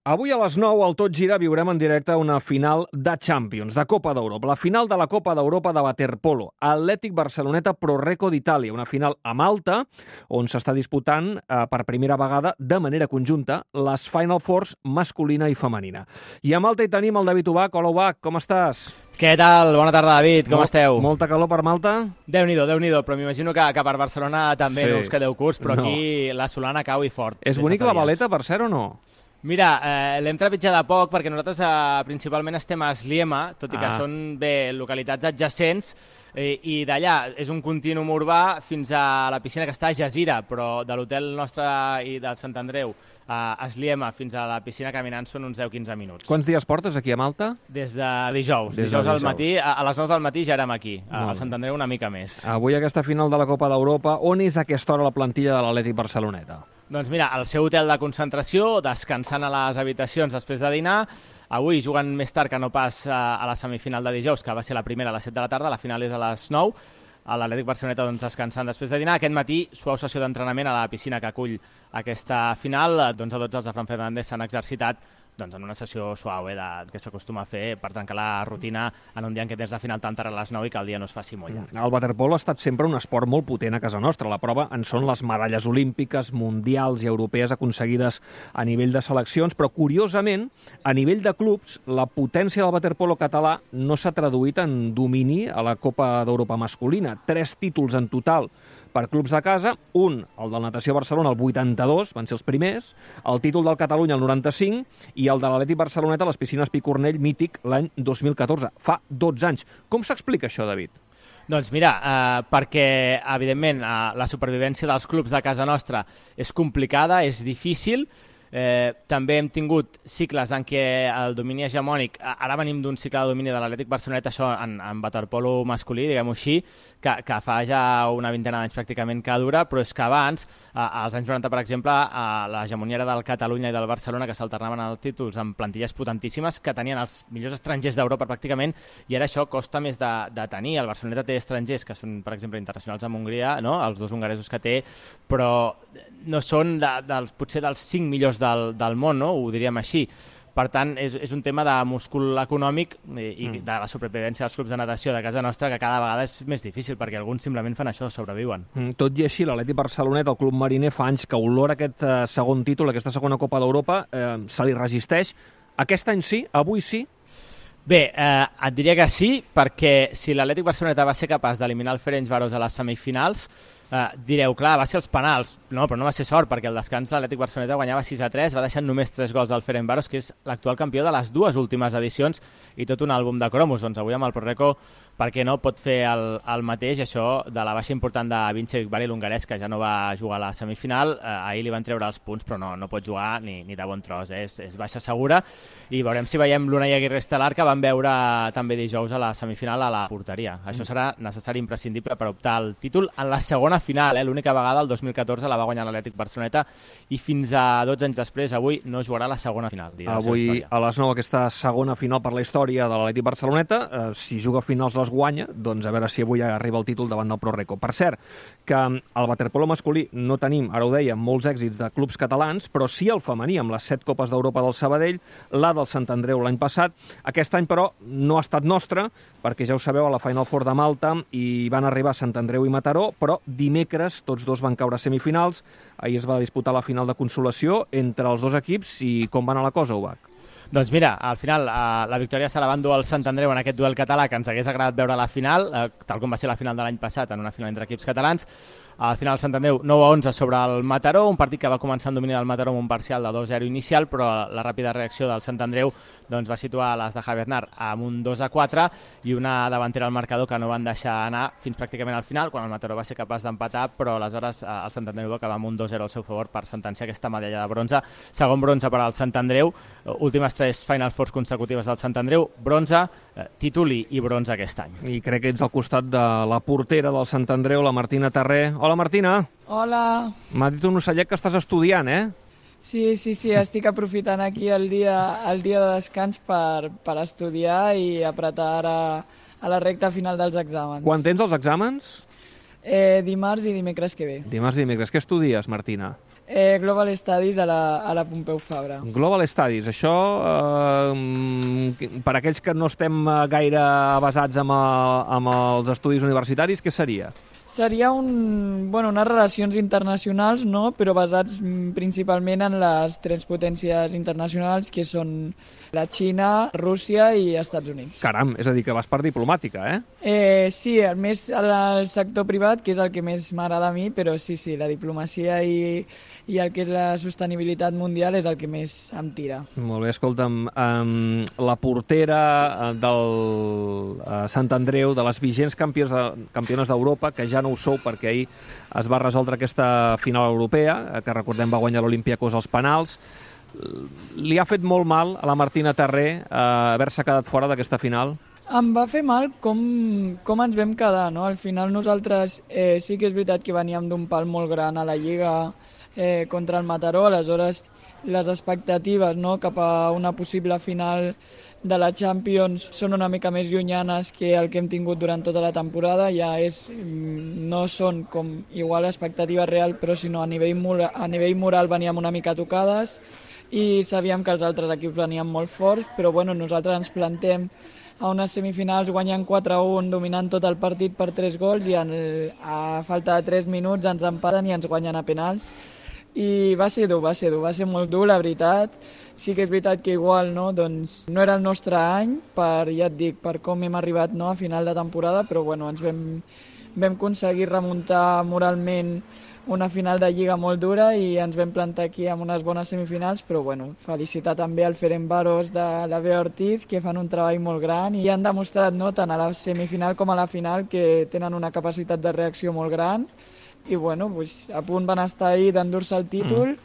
Avui a les 9 al Tot Gira viurem en directe una final de Champions, de Copa d'Europa. La final de la Copa d'Europa de waterpolo. Atlètic Barceloneta Pro Recco d'Itàlia. Una final a Malta, on s'està disputant per primera vegada, de manera conjunta, les Final Fours masculina i femenina. I a Malta hi tenim el David Ubach. Hola, Ubach, com estàs? Què tal? Bona tarda, David. Com esteu? Molta calor per Malta? Déu-n'hi-do, però m'imagino que per Barcelona també no us quedeu curts, però aquí la solana cau i fort. És bonica la Valeta, per cert, o no? Mira, l'hem trepitjat de poc perquè nosaltres principalment estem a Sliema, tot i que són localitats adjacents, i d'allà és un contínuum urbà fins a la piscina que està a Jazira, però de l'hotel nostre i del Sant Andreu a Sliema fins a la piscina caminant són uns 10-15 minuts. Quants dies portes aquí a Malta? Des de dijous. Dijous al matí, a les 9 del matí ja érem aquí, al Sant Andreu una mica més. Avui aquesta final de la Copa d'Europa, on és a aquesta hora la plantilla de l'Atlètic Barceloneta? Doncs mira, al seu hotel de concentració, descansant a les habitacions després de dinar. Avui juguen més tard que no pas a la semifinal de dijous, que va ser la primera a les 7 de la tarda, la final és a les 9. L'Atlètic Barceloneta descansant després de dinar. Aquest matí, suau sessió d'entrenament a la piscina que acull aquesta final. D'11 a 12 els de Fran Fernández s'han exercitat en una sessió suau que s'acostuma a fer per trencar la rutina en un dia en què tens la final tan tard a les 9 i que el dia no es faci molt llarg. El waterpolo ha estat sempre un esport molt potent a casa nostra. La prova en són les medalles olímpiques, mundials i europees aconseguides a nivell de seleccions, però curiosament, a nivell de clubs, la potència del waterpolo català no s'ha traduït en domini a la Copa d'Europa masculina. 3 títols en total per clubs de casa, un, el del Natació Barcelona, el 82, van ser els primers, el títol del Catalunya, el 95, i el de l'Atlètic Barceloneta, les piscines Picornell, mític, l'any 2014. Fa 12 anys. Com s'explica això, David? Doncs mira, perquè, evidentment, la supervivència dels clubs de casa nostra és complicada, és difícil. També hem tingut cicles en què el domini hegemònic, ara venim d'un cicle de domini de l'Atlètic Barceloneta, això en waterpolo masculí, diguem-ho així, que fa ja una vintena d'anys pràcticament que dura, però és que abans, als anys 90, per exemple, l'hegemonia era del Catalunya i del Barcelona, que s'alternaven els títols amb plantilles potentíssimes, que tenien els millors estrangers d'Europa pràcticament, i ara això costa més de tenir. El Barceloneta té estrangers que són, per exemple, internacionals amb Hongria, no? Els 2 hongaresos que té, però no són potser dels 5 millors del món, no? Ho diríem així. Per tant, és un tema de múscul econòmic i de la supervivència dels clubs de natació de casa nostra que cada vegada és més difícil, perquè alguns simplement fan això, sobreviuen. Tot i així, l'Atlètic Barceloneta, el club mariner, fa anys que olora aquest segon títol, aquesta segona Copa d'Europa, se li resisteix. Aquest any sí? Avui sí? Bé, et diria que sí, perquè si l'Atlètic Barceloneta va ser capaç d'eliminar el Ferencváros a les semifinals, direu, clar, va ser els penals. No, però no va ser sort, perquè el descans l'Atlètic Barceloneta guanyava 6-3, va deixar només 3 gols al Ferencváros, que és l'actual campió de les 2 últimes edicions, i tot un àlbum de cromos. Doncs avui amb el Pro Recco, per què no, pot fer el mateix, això de la baixa important de Vince Vivari, l'hongarès, que ja no va jugar a la semifinal. Ahir li van treure els punts, però no pot jugar ni de bon tros, és baixa segura, i veurem si veiem l'Unai Aguirre Estelar, que van veure també dijous a la semifinal a la porteria. Això serà necessari, imprescindible per optar al títol en la segona final, l'única vegada el 2014 la va guanyar l'Atlètic Barceloneta i fins a 12 anys després, avui no jugarà la segona final. Avui a les 9 aquesta segona final per la història de l'Atlètic Barceloneta, si juga finals les guanya, doncs a veure si avui arriba el títol davant del Pro Recco. Per cert, que al waterpolo masculí no tenim, ara ho dèiem, molts èxits de clubs catalans, però sí el femení, amb les 7 Copes d'Europa del Sabadell, la del Sant Andreu l'any passat. Aquest any, però, no ha estat nostre, perquè ja ho sabeu, a la Final Four de Malta hi van arribar Sant Andreu i Mataró, però dimecres tots 2 van caure a semifinals. Ahir es va disputar la final de consolació entre els 2 equips. I com va anar la cosa, Ubach? Doncs mira, al final la victòria se la van dur al Sant Andreu en aquest duel català, que ens hagués agradat veure a la final, tal com va ser la final de l'any passat, en una final entre equips catalans. Al final el Sant Andreu 9-11 sobre el Mataró, un partit que va començar en domini del Mataró amb un parcial de 2-0 inicial, però la ràpida reacció del Sant Andreu va situar les de Javier Aznar amb un 2-4 i una davantera al marcador que no van deixar anar fins pràcticament al final, quan el Mataró va ser capaç d'empatar, però aleshores el Sant Andreu va acabar amb un 2-0 al seu favor per sentenciar aquesta medalla de bronze. Segon bronze per al Sant Andreu, últimes 3 Final Fours consecutives del Sant Andreu, bronze, títol i bronze aquest any. I crec que ets al costat de la portera del Sant Andreu, la Martina Terré. Hola, Martina. Hola. M'ha dit un ocellet que estàs estudiant, eh? Sí, estic aprofitant aquí el dia de descans per estudiar i apretar ara a la recta final dels exàmens. Quan tens els exàmens? Dimarts i dimecres que ve. Dimarts i dimecres. Què estudies, Martina? Global Studies a la Pompeu Fabra. Global Studies, això, per aquells que no estem gaire avasats amb els estudis universitaris, què seria? Seria unes relacions internacionals, no? Però basats principalment en les tres potències internacionals, que són la Xina, Rússia i Estats Units. Caram, és a dir, que vas per diplomàtica, eh? Sí, més al sector privat, que és el que més m'agrada a mi, però sí, la diplomacia i el que és la sostenibilitat mundial és el que més em tira. Molt bé, escolta'm, la portera del Sant Andreu, de les vigents campiones d'Europa, que ja no ho sou perquè ahir es va resoldre aquesta final europea, que recordem va guanyar l'Olympiacos als penals, li ha fet molt mal a la Martina Terré haver-se quedat fora d'aquesta final? Em va fer mal com ens vam quedar, no? Al final nosaltres sí que és veritat que veníem d'un pal molt gran a la Lliga contra el Mataró, aleshores les expectatives, no?, cap a una possible final de la Champions són una mica més llunyanes que el que hem tingut durant tota la temporada. No són com igual expectativa real, però sinó a nivell moral veníem una mica tocades i sabíem que els altres equips venien molt forts, però bueno, nosaltres ens plantem a unes semifinals guanyant 4-1, dominant tot el partit per 3 gols i a falta de 3 minuts ens empaten i ens guanyen a penals. I va ser dur, va ser molt dur, la veritat. Sí que és veritat que igual no era el nostre any, ja et dic, per com hem arribat a final de temporada, però bueno, ens vam aconseguir remuntar moralment una final de Lliga molt dura i ens vam plantar aquí amb unes bones semifinals, però bueno, felicitar també al Ferencváros de la Bea Ortiz, que fan un treball molt gran i han demostrat tant a la semifinal com a la final que tenen una capacitat de reacció molt gran i bueno, a punt van estar ahir d'endur-se el títol.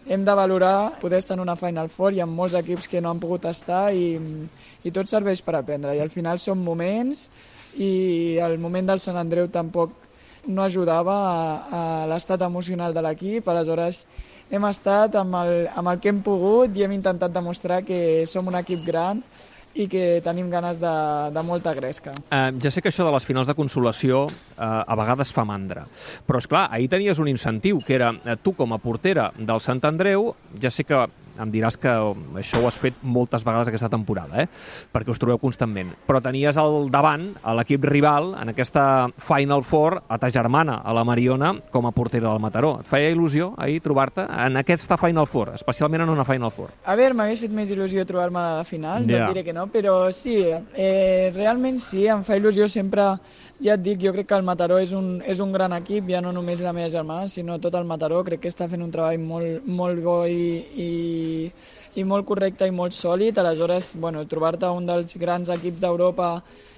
Hem de valorar poder estar en una Final Four, hi ha molts equips que no han pogut estar i tot serveix per aprendre i al final són moments i el moment del Sant Andreu tampoc no ajudava a l'estat emocional de l'equip, aleshores hem estat amb el que hem pogut i hem intentat demostrar que som un equip gran i que tenim ganes de molta gresca. Ja sé que això de les finals de consolació a vegades fa mandra, però és clar, ahir tenies un incentiu, que era tu com a portera del Sant Andreu, ja sé que em diràs que això ho has fet moltes vegades aquesta temporada, perquè us trobeu constantment, però tenies al davant a l'equip rival en aquesta Final Four a ta germana, a la Mariona, com a portera del Mataró. Et feia il·lusió ahir trobar-te en aquesta Final Four, especialment en una Final Four? A veure, m'hagués fet més il·lusió trobar-me a la final, no et diré que no, però sí, realment sí, em fa il·lusió sempre. Ja et dic, jo crec que el Mataró és un gran equip, ja no només la meva germana, sinó tot el Mataró. Crec que està fent un treball molt bo i molt correcte i molt sòlid. Aleshores, trobar-te un dels grans equips d'Europa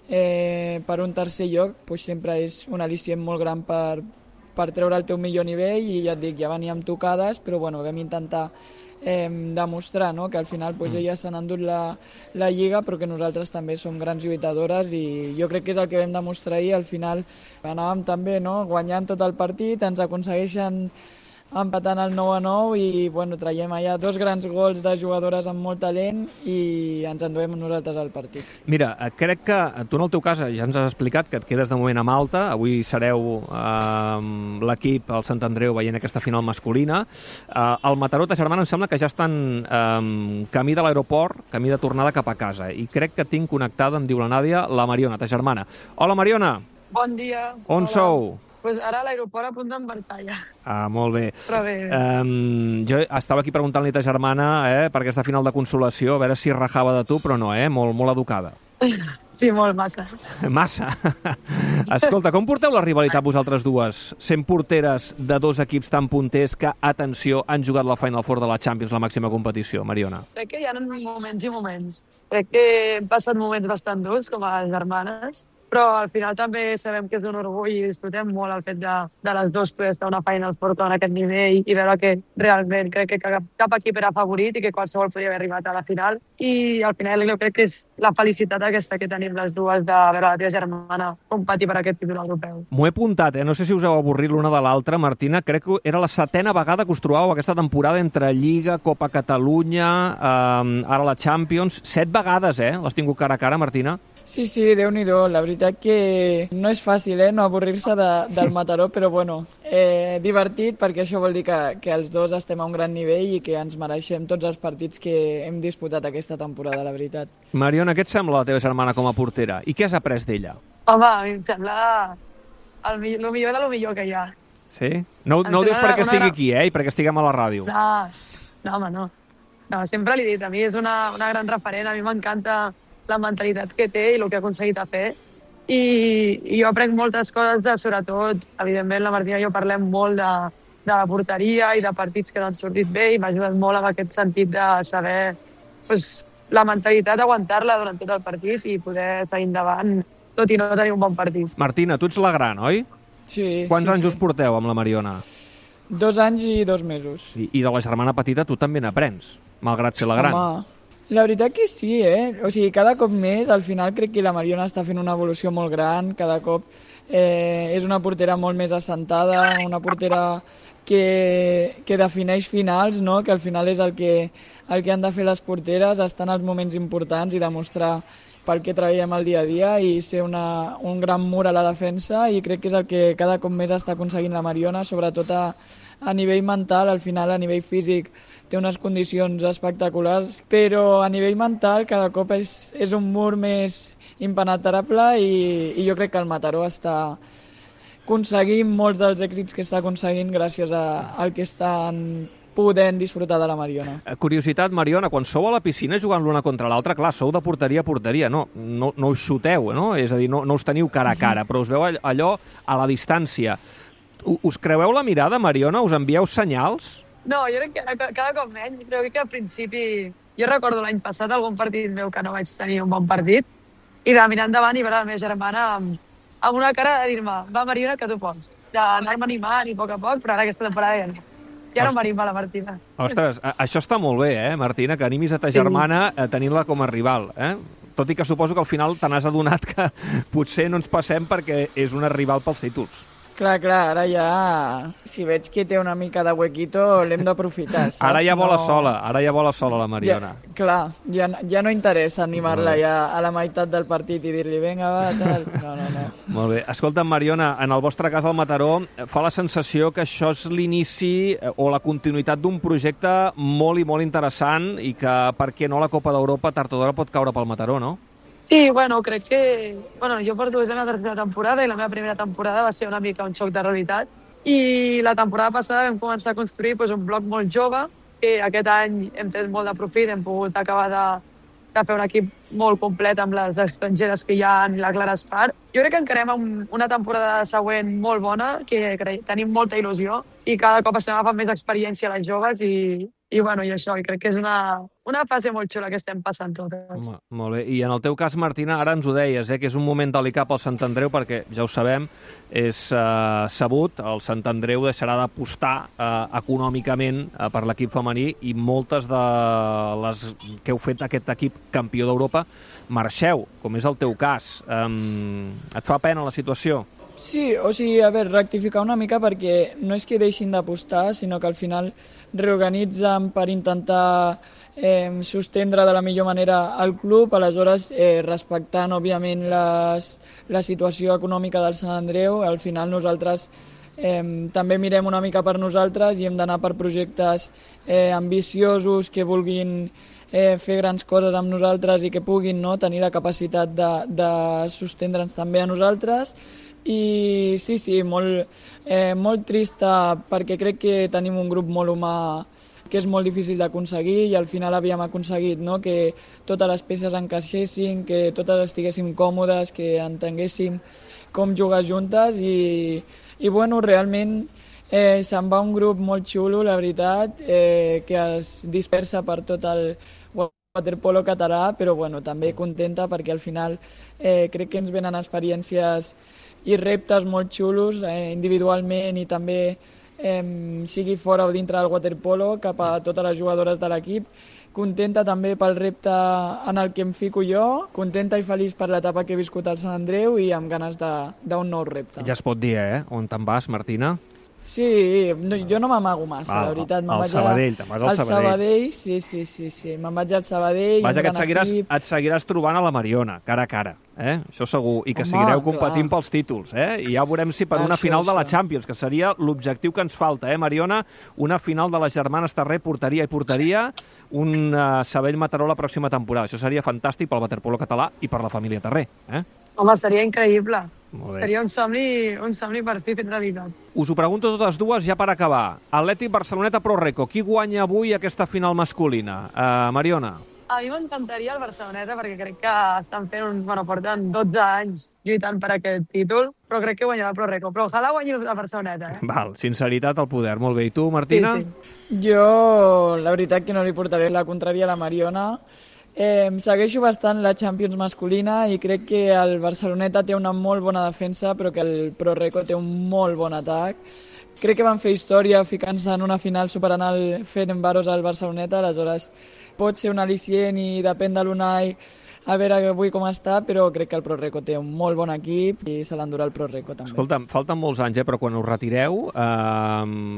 per un tercer lloc sempre és un al·licient molt gran per treure el teu millor nivell i ja et dic, ja veníem tocades, però vam intentar demostrar que al final elles s'han endut la Lliga, però que nosaltres també som grans lluitadores i jo crec que és el que vam demostrar ahir. Al final anàvem també guanyant tot el partit, ens aconsegueixen empatant el 9-9 i traiem allà 2 grans gols de jugadores amb molt talent i ens enduem nosaltres al partit. Mira, crec que tu en el teu cas ja ens has explicat que et quedes de moment a Malta, avui sereu l'equip, el Sant Andreu, veient aquesta final masculina. El Mataró, ta germana, em sembla que ja estan camí de l'aeroport, camí de tornada cap a casa, i crec que tinc connectada, em diu la Nàdia, la Mariona, ta germana. Hola, Mariona! Bon dia! On sou? Pues ara a l'aeroport a punt d'embarcar ja. Molt bé. Però bé. Jo estava aquí preguntant-li a ta germana per aquesta final de consolació, a veure si rajava de tu, però no, molt educada. Sí, molt, massa. Massa. Escolta, com porteu la rivalitat vosaltres dues, sent porteres de 2 equips tan punters que, atenció, han jugat la Final Four de la Champions, la màxima competició, Mariona? Crec que hi ha moments i moments. Crec que hem passat moments bastant durs com a germanes, però al final també sabem que és un orgull i disfrutem molt el fet de les dues poder estar a una Final Four en aquest nivell i veure que realment crec que cap equip era favorit i que qualsevol podia haver arribat a la final. I al final jo crec que és la felicitat aquesta que tenim les dues de veure la teva germana competir per aquest títol europeu. M'ho he apuntat, no sé si us heu avorrit l'una de l'altra, Martina. Crec que era la 7a vegada que us trobàveu aquesta temporada entre Lliga, Copa Catalunya, ara la Champions. 7 vegades, l'has tingut cara a cara, Martina? Sí, Déu-n'hi-do. La veritat que no és fàcil, no avorrir-se del Mataró, però bueno, divertit perquè això vol dir que els dos estem a un gran nivell i que ens mereixem tots els partits que hem disputat aquesta temporada, la veritat. Mariona, què et sembla la teva germana com a portera? I què has après d'ella? Home, a mi em sembla el millor de lo millor que hi ha. Sí? No ho dius perquè estigui aquí, i perquè estiguem a la ràdio. No, home, no. No, sempre l'he dit, a mi és una gran referent, a mi m'encanta la mentalitat que té i el que ha aconseguit a fer. I jo aprenc moltes coses, sobretot, evidentment, la Martina i jo parlem molt de la porteria i de partits que no han sortit bé i m'ha ajudat molt en aquest sentit de saber la mentalitat, aguantar-la durant tot el partit i poder seguir endavant, tot i no tenir un bon partit. Martina, tu ets la gran, oi? Sí. Quants anys us porteu amb la Mariona? 2 anys i 2 mesos. I de la germana petita tu també n'aprens, malgrat ser la gran. Home, la veritat que sí, O sigui, cada cop més, al final crec que la Mariona està fent una evolució molt gran, cada cop és una portera molt més assentada, una portera que defineix finals, no? Que al final és el que han de fer les porteres, estar en els moments importants i demostrar pel que treballem el dia a dia i ser un gran mur a la defensa, i crec que és el que cada cop més està aconseguint la Mariona, sobretot a nivell mental. Al final, a nivell físic, té unes condicions espectaculars, però a nivell mental cada cop és un mur més impenetrable i jo crec que el Mataró està aconseguint molts dels èxits que està aconseguint gràcies al que estan podent disfrutar de la Mariona. Curiositat, Mariona, quan sou a la piscina jugant l'una contra l'altra, clar, sou de porteria a porteria, no us xuteu, no? És a dir, no us teniu cara a cara, però us veu allò a la distància. Us creueu la mirada, Mariona? Us envieu senyals? No, jo crec que cada cop menys. Crec que al principi... Jo recordo l'any passat algun partit meu que no vaig tenir un bon partit i de mirar endavant i veure la meva germana amb una cara de dir-me va, Mariona, que tu pots. D'anar-me animant i a poc, però ara aquesta temporada ja no. Ja no m'anima la Martina. Ostres, això està molt bé, Martina, que animis a ta germana tenint-la com a rival, Tot i que suposo que al final te n'has adonat que potser no ens passem perquè és una rival pels títols. Clar, ara ja, si veig que té una mica de huequito, l'hem d'aprofitar, saps? Ara ja vola sola la Mariona. Ja no interessa animar-la ja a la meitat del partit i dir-li, vinga, va, tal. No. Molt bé. Escolta, Mariona, en el vostre cas al Mataró, fa la sensació que això és l'inici o la continuïtat d'un projecte molt i molt interessant i que, per què no, la Copa d'Europa tard o d'hora pot caure pel Mataró, no? Sí, crec que... jo porto la meva tercera temporada i la meva primera temporada va ser una mica un xoc de realitat. I la temporada passada vam començar a construir un bloc molt jove, que aquest any hem tret molt de profit, hem pogut acabar de fer un equip molt complet amb les estrangeres que hi ha i la Clara Espart. Jo crec que encarem una temporada següent molt bona, que tenim molta il·lusió i cada cop estem agafant més experiència a les joves i això, i crec que és una fase molt xula que estem passant totes. Molt bé. I en el teu cas, Martina, ara ens ho deies, que és un moment delicat pel Sant Andreu, perquè, ja ho sabem, és sabut, el Sant Andreu deixarà d'apostar econòmicament per l'equip femení i moltes de les que heu fet aquest equip campió d'Europa marxeu, com és el teu cas. Et fa pena la situació? Sí, o sigui, rectificar una mica perquè no és que deixin d'apostar, sinó que al final reorganitzen per intentar sostendre de la millor manera el club, aleshores respectant, òbviament, la situació econòmica del Sant Andreu. Al final nosaltres també mirem una mica per nosaltres i hem d'anar per projectes ambiciosos que vulguin fer grans coses amb nosaltres i que puguin tenir la capacitat de sostendre'ns també a nosaltres. I sí, molt trista perquè crec que tenim un grup molt humà que és molt difícil d'aconseguir i al final havíem aconseguit que totes les peces encaixessin, que totes estiguéssim còmodes, que entenguéssim com jugar juntes i realment se'n va un grup molt xulo, la veritat, que es dispersa per tot el waterpolo català, però també contenta perquè al final crec que ens venen experiències i reptes molt xulos individualment i també sigui fora o dintre del waterpolo cap a totes les jugadores de l'equip. Contenta també pel repte en el que em fico jo, contenta i feliç per l'etapa que he viscut al Sant Andreu i amb ganes d'un nou repte. Ja es pot dir, on te'n vas, Martina? Sí, no, jo no m'amago massa, la veritat. Al Sabadell, te'n vas al Sabadell. Sí. Me'n vaig al Sabadell, vaja, que et seguiràs trobant a la Mariona, cara a cara, això segur, i que seguireu competint pels títols, i ja veurem si per una final de la Champions, que seria l'objectiu que ens falta, Mariona, una final de les germanes Terré, porteria i porteria, un Sabadell-Mataró la pròxima temporada. Això seria fantàstic pel waterpolo català i per la família Terré. Home, seria increïble. Seria un somni per fi fet realitat. Us ho pregunto totes dues ja per acabar. Atlètic Barceloneta Pro Reco, qui guanya avui aquesta final masculina? Mariona? A mi m'encantaria el Barceloneta perquè crec que estan fent porten 12 anys lluitant per aquest títol, però crec que guanyarà el Pro Reco. Però ojalà guanyi el Barceloneta. Val, sinceritat al poder. Molt bé. I tu, Martina? Sí. Jo, la veritat que no li portaré la contrària a la Mariona. Segueixo bastant la Champions masculina i crec que el Barceloneta té una molt bona defensa, però que el Pro Reco té un molt bon atac. Crec que van fer història ficant-se en una final superant el Ferencváros al Barceloneta, aleshores pot ser un al·licient i depèn de l'Unai a veure avui com està, però crec que el Pro Reco té un molt bon equip i se l'endurà el Pro Reco també. Escolta'm, falten molts anys, però quan us retireu,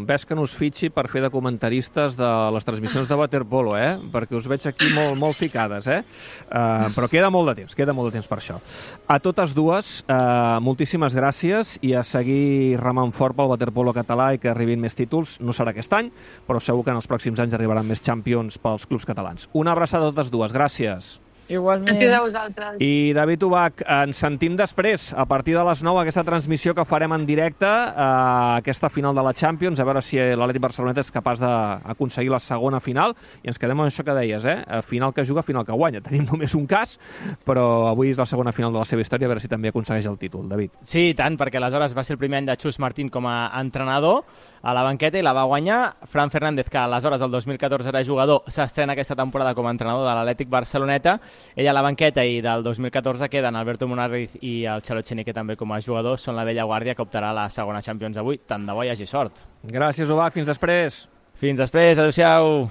ves que no us fitxi per fer de comentaristes de les transmissions de waterpolo, perquè us veig aquí molt ficades, però queda molt de temps per això. A totes dues, moltíssimes gràcies i a seguir remant fort pel waterpolo català i que arribin més títols. No serà aquest any, però segur que en els pròxims anys arribaran més Champions pels clubs catalans. Una abraçada a totes dues, gràcies. Igualment. Gràcies a vosaltres. I David Ubach, ens sentim després, a partir de les 9, aquesta transmissió que farem en directe, aquesta final de la Champions, a veure si l'Atlètic Barceloneta és capaç d'aconseguir la segona final, i ens quedem amb això que deies, final que juga, final que guanya. Tenim només un cas, però avui és la segona final de la seva història, a veure si també aconsegueix el títol. David. Sí, i tant, perquè aleshores va ser el primer any de Xus Martín com a entrenador a la banqueta i la va guanyar Fran Fernández, que aleshores el 2014 era jugador, s'estrena aquesta temporada com a entrenador de l'Atlètic Barceloneta. Ella a la banqueta, i del 2014 queden Alberto Munarriz i el Xalo Echenique també com a jugadors. Són la vella guàrdia que optarà a la segona Champions avui. Tant de bo hi hagi sort. Gràcies, Ubach. Fins després. Fins després. Adéu-siau.